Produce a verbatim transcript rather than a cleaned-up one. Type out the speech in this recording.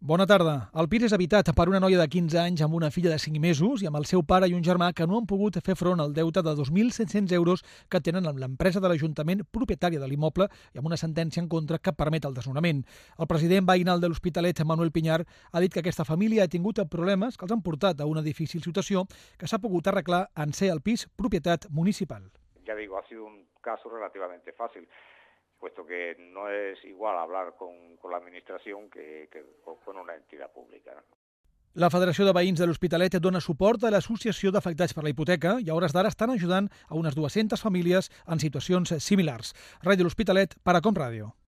Bona tarda. El pis és habitat per una noia de quinze anys amb una filla de cinc mesos i amb el seu pare i un germà que no han pogut fer front al deute de dos mil set-cents euros que tenen amb l'empresa de l'Ajuntament propietària de l'immoble i amb una sentència en contra que permet el desnonament. El president veïnal de l'Hospitalet, Manuel Piñar, ha dit que aquesta família ha tingut problemes que els han portat a una difícil situació que s'ha pogut arreglar en ser el pis propietat municipal. Ya digo, ha sido un caso relativamente fácil, puesto que no es igual hablar con, con la administración que, que con una entidad pública, ¿no? La Federació de Veïns de l'Hospitalet dona suport a l'Associació d'Afectats per la Hipoteca i a hores d'ara estan ajudant a unes dues-centes famílies en situacions similars. Ràdio de l'Hospitalet, Paracom Ràdio.